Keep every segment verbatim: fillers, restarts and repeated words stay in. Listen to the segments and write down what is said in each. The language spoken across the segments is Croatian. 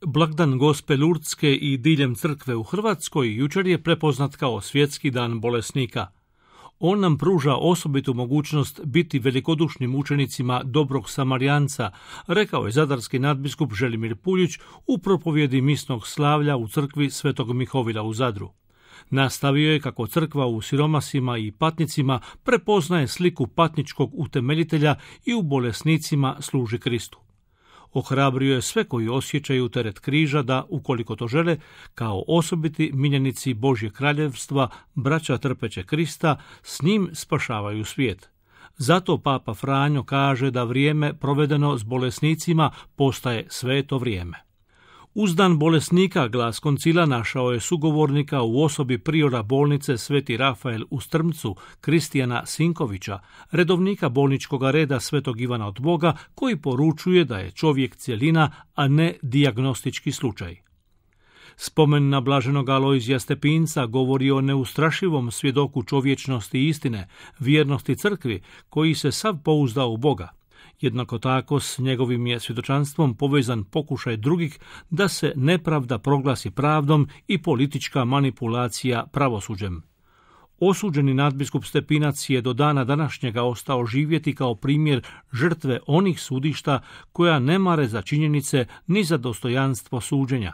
Blagdan Gospe Lurdske i diljem crkve u Hrvatskoj jučer je prepoznat kao svjetski dan bolesnika. On nam pruža osobitu mogućnost biti velikodušnim učenicima dobrog Samarijanca, rekao je zadarski nadbiskup Želimir Puljić u propovjedi misnog slavlja u crkvi Svetog Mihovila u Zadru. Nastavio je kako crkva u siromasima i patnicima prepoznaje sliku patničkog utemeljitelja i u bolesnicima služi Kristu. Ohrabrio je sve koji osjećaju teret križa da, ukoliko to žele, kao osobiti miljenici Božjeg kraljevstva, braća trpeće Krista, s njim spašavaju svijet. Zato Papa Franjo kaže da vrijeme provedeno s bolesnicima postaje sveto vrijeme. Uz dan bolesnika glas koncila našao je sugovornika u osobi priora bolnice Sveti Rafael u Strmcu, Kristijana Sinkovića, redovnika bolničkog reda Svetog Ivana od Boga, koji poručuje da je čovjek cjelina, a ne dijagnostički slučaj. Spomen na blaženog Alojzija Stepinca govori o neustrašivom svjedoku čovječnosti i istine, vjernosti crkvi, koji se sav pouzdao u Boga. Jednako tako s njegovim je svjedočanstvom povezan pokušaj drugih da se nepravda proglasi pravdom i politička manipulacija pravosuđem. Osuđeni nadbiskup Stepinac je do dana današnjega ostao živjeti kao primjer žrtve onih sudišta koja ne mare za činjenice ni za dostojanstvo suđenja.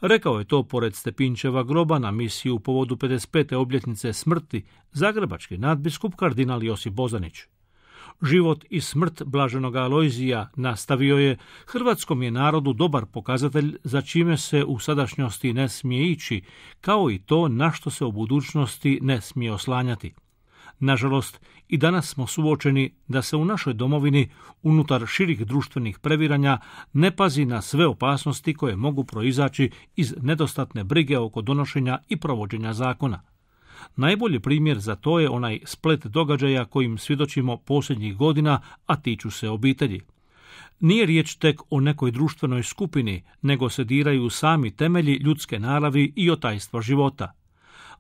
Rekao je to pored Stepinčeva groba na misiji u povodu pedeset pete obljetnice smrti zagrebački nadbiskup kardinal Josip Bozanić. Život i smrt blaženog Alojzija, nastavio je, hrvatskom je narodu dobar pokazatelj za čime se u sadašnjosti ne smije ići, kao i to na što se u budućnosti ne smije oslanjati. Nažalost, i danas smo suočeni da se u našoj domovini, unutar širih društvenih previranja, ne pazi na sve opasnosti koje mogu proizaći iz nedostatne brige oko donošenja i provođenja zakona. Najbolji primjer za to je onaj splet događaja kojim svjedočimo posljednjih godina, a tiču se obitelji. Nije riječ tek o nekoj društvenoj skupini, nego se diraju sami temelji ljudske naravi i otajstva života.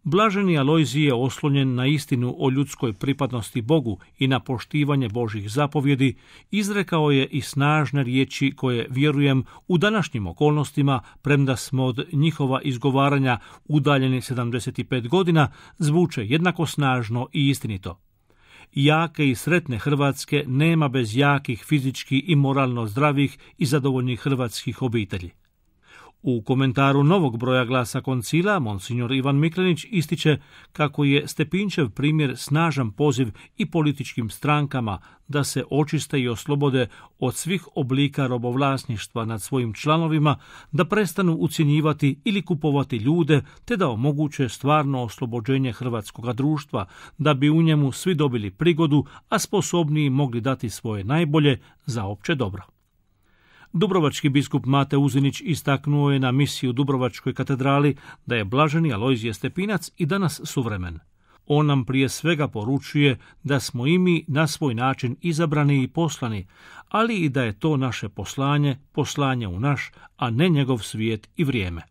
Blaženi Alojzij je oslonjen na istinu o ljudskoj pripadnosti Bogu i na poštivanje Božjih zapovjedi, izrekao je i snažne riječi koje, vjerujem, u današnjim okolnostima, premda smo od njihova izgovaranja udaljeni sedamdeset pet godina, zvuče jednako snažno i istinito. Jake i sretne Hrvatske nema bez jakih fizički i moralno zdravih i zadovoljnih hrvatskih obitelji. U komentaru novog broja glasa koncila, monsignor Ivan Miklenić ističe kako je Stepinčev primjer snažan poziv i političkim strankama da se očiste i oslobode od svih oblika robovlasništva nad svojim članovima, da prestanu ucjenjivati ili kupovati ljude, te da omoguće stvarno oslobođenje hrvatskoga društva, da bi u njemu svi dobili prigodu, a sposobniji mogli dati svoje najbolje za opće dobro. Dubrovački biskup Mate Uzinić istaknuo je na misiji u Dubrovačkoj katedrali da je blaženi Alojzije Stepinac i danas suvremen. On nam prije svega poručuje da smo i mi na svoj način izabrani i poslani, ali i da je to naše poslanje, poslanje u naš, a ne njegov svijet i vrijeme.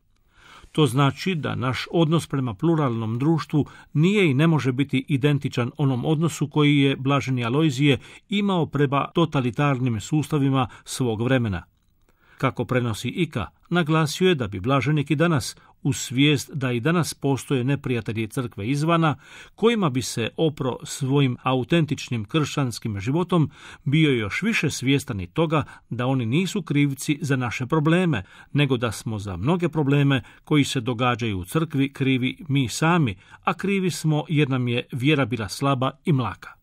To znači da naš odnos prema pluralnom društvu nije i ne može biti identičan onom odnosu koji je blaženi Alojzije imao prema totalitarnim sustavima svog vremena. Kako prenosi Ika, naglasio je da bi blaženik i danas, uz svijest da i danas postoje neprijatelji crkve izvana, kojima bi se opro svojim autentičnim kršćanskim životom, bio još više svjestan i toga da oni nisu krivci za naše probleme, nego da smo za mnoge probleme koji se događaju u crkvi krivi mi sami, a krivi smo jer nam je vjera bila slaba i mlaka.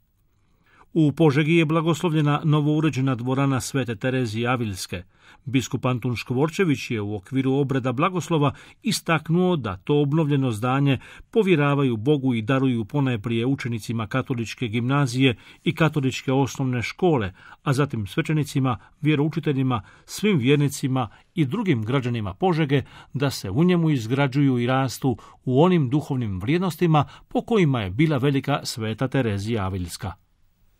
U Požegi je blagoslovljena novouređena dvorana Svete Terezije Avilske. Biskup Antun Škvorčević je u okviru obreda blagoslova istaknuo da to obnovljeno zdanje povjeravaju Bogu i daruju ponajprije učenicima katoličke gimnazije i katoličke osnovne škole, a zatim svećenicima, vjeroučiteljima, svim vjernicima i drugim građanima Požege da se u njemu izgrađuju i rastu u onim duhovnim vrijednostima po kojima je bila velika Sveta Terezija Avilska.